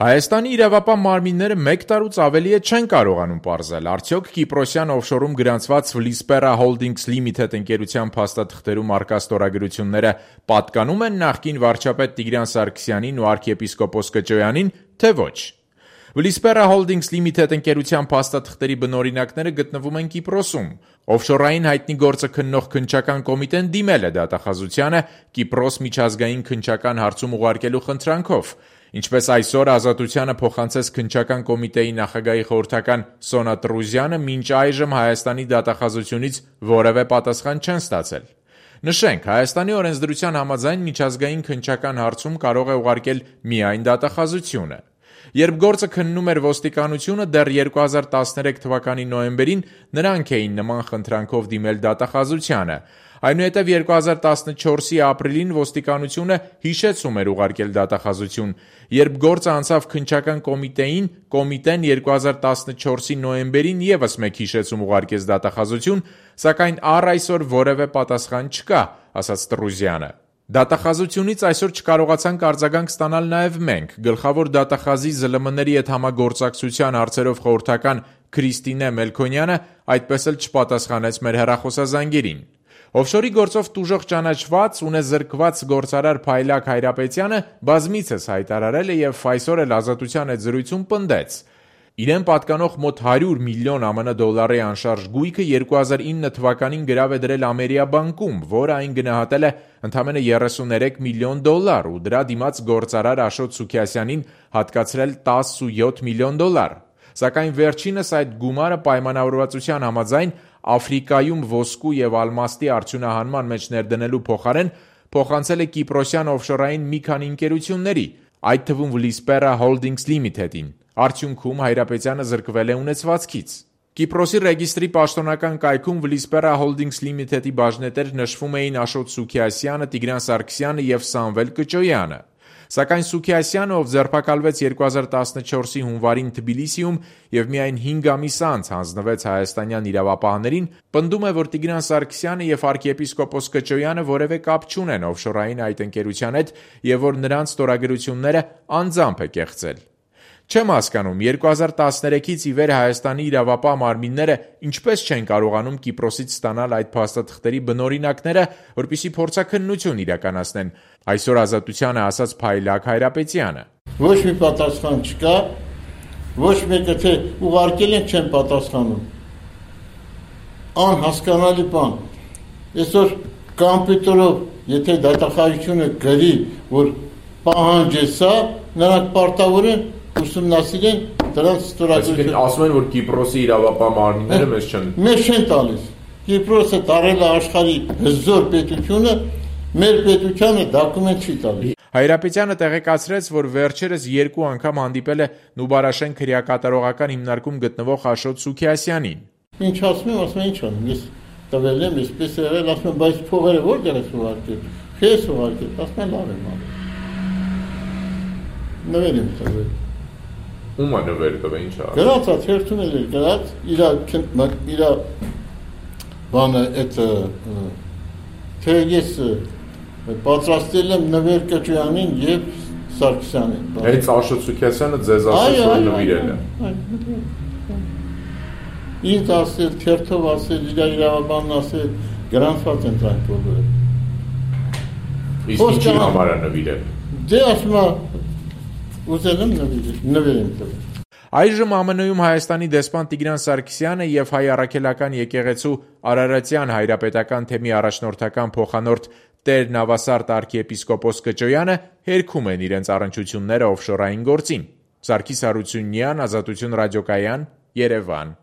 Հայաստանի իրավապահ մարմինները 1 տարուց ավելի է չեն կարողանում պարզել, արդյոք Կիպրոսյան օֆշորում գրանցված Vlispera Holdings Limited ընկերության փաստաթղթերում առկա ստորագրությունները պատկանում են նախկին վարչապետ Տիգրան Սարգսյանին ու arczepiskopos Կճոյանին, թե ոչ։ Vlispera Holdings Limited ընկերության փաստաթղթերի բնօրինակները գտնվում են Կիպրոսում։ Օֆշորային հայտնի գործը քննող քննչական կոմիտեն դիմել է դատախազությանը Կիպրոս միջազգային քննչական հարցում ուղարկելու խնդրանքով։ Ինչպես այսօր Ազատությանը փոխանցեց քննչական կոմիտեի նախագահի խորհրդական Սոնա Տրուզյանը, մինչ այժմ Հայաստանի դատախազությունից որևէ պատասխան չեն ստացել։ Նշենք, Հայաստանի օրենսդրության համաձայն միջազգային քննչական հարցում կարող է ուղարկել միայն դատախազությունը։ Երբ գործը քննում էր ոստիկանությունը, դեռ 2013 թվականի նոյեմբերին նրանք էին նման խնդրանքով դիմել դատախազությանը։ Այնուհետև 2014-ի ապրիլին ոստիկանությունը հիշեցում էր ուղարկել դատախազություն։ Երբ գործը անցավ քննչական կոմիտեին, կոմիտեն 2014-ի նոյեմբերին ևս մեկ հիշեցում ուղարկեց դատախազություն, սակայն առ այսօր որևէ պատասխան չկա, ասաց Տրուզյանը։ Դատախազությունից այսօր չկարողացանք արձագանք ստանալ նաև մենք։ Գլխավոր դատախազի ԶԼՄ-ների հետ համագործակցության հարցերով խորհրդական Քրիստինե Մելքոնյանը այդպես էլ չպատասխանեց մեր հեռախոսազանգերին։ Օֆշորի գործով տուժող ճանաչված ունեզրկված գործարար Փայլակ Հայրապետյանը բազմիցս հայտարարել է և այսօր էլ Ազատության հետ զրույցում պնդեց. իրեն պատկանող մոտ 100 միլիոն ԱՄՆ դոլարի անշարժ գույքը 2009 թվականին գրավ է դրել Ամերիա բանկում, որը այն գնահատել է ընդամենը 33 միլիոն դոլար ու դրա դիմաց գործարար Աշոտ Սուքիասյանին հատկացրել 17 միլիոն դոլար։ Սակայն վերջինս այդ գումարը պայմանավորվածության համաձայն Աֆրիկայում ոսկու և ալմաստի արդյունահանման մեջ ներդնելու փոխարեն փոխանցել է Կիպրոսյան օֆշորային մի քանի ընկերությունների, այդ թվում Vlispera Holdings Limited-ին։ Արդյունքում Հայրապետյանը զրկվել է ունեցվածքից։ Կիպրոսի ռեգիստրի պաշտոնական կայքում Vlispera Holdings Limited-ի բաժնետեր նշվում էին Աշոտ Սուքիասյանը, Տիգրան Սարգսյանը և Սամվել Կճոյանը։ Սակայն Սուքիասյանը, ով ձերբակալվեց 2014-ի հունվարին Թբիլիսիում և միայն 5 ամիս անց հանձնվեց հայաստանյան իրավապահներին, պնդում է, որ Տիգրան Սարգսյանը և arczepiskopos Կճոյանը որևէ կապ չունեն օֆշորային այդ ընկերության հետ և որ նրանց ստորագրությունները անձամբ է կեղծել։ Չեմ հասկանում, 2013-ից ի վեր Հայաստանի իրավապահ մարմինները ինչպես չեն կարողանում Կիպրոսից ստանալ այդ փաստաթղթերի բնօրինակները, որպեսզի փորձաքննություն իրականացնեն, այսօր Ազատությանը ասաց Փայլակ Հայրապետյանը։ Ոչ մի պատասխան չկա, ոչ մեկը թե ուղարկել են չեն պատասխանում։ Անհասկանալի բան։ Այսօր կոմպյուտերով, եթե դատախազությունը գրի, որ պահանջ է սա, նրանք պարտավոր են ուսումնասիրեն դրանց ստորագրությունը։ Ասում են, որ Կիպրոսի իրավապահ մարմինները մեզ չեն տալիս։ Կիպրոսը տարել է աշխարհի հզոր պետությունը, մեր պետությանը դոկումենտ չի տալիս։ Հայրապետյանը տեղեկացրեց, որ վերջերս 2 անգամ հանդիպել է Նուբարաշեն քրեակատարողական հիմնարկում գտնվող Աշոտ Սուքիասյանին։ Ինչ ասում եմ, ինչ անեմ, ես տվել եմ, այսպես եղել, ասում եմ, բայց փողերը որտեղ ես ուղարկել։ Քեզ ուղարկել, ասում եմ, լավ եմ արել։ Նվեր եմ տվել։ Ում է նվեր տվել, ինչ է։ Գրած է, թերթում էլ էր գրած, իր բանը այդ թե ես պատրաստել եմ նվեր Կճոյանին և Սարգսյանին։ Այդ Աշոտ Սուքիասյանը ձեզ ասեց, որ նվիրել է։ Ինձ ասել, թերթով ասել, իր իրավաբանն ասել, գրանցված են դրանք բոլորը։ Իսկ ինչի համար է նվիրել։ Դե ասում է ուզել եմ նվեր եմ տվել։ Այժմ ԱՄՆ-ում Հայաստանի դեսպան Տիգրան Սարգսյանը և Հայ առաքելական եկեղեցու Արարատյան հայրապետական թեմի առաջնորդական փոխանորդ Տեր Նավասարդ arczepiskopos Կճոյանը հերքում են իրենց առնչությունները օֆշորային գործին։ Սարգիս Հարությունյան, Ազատություն ռադիոկայան, Երևան։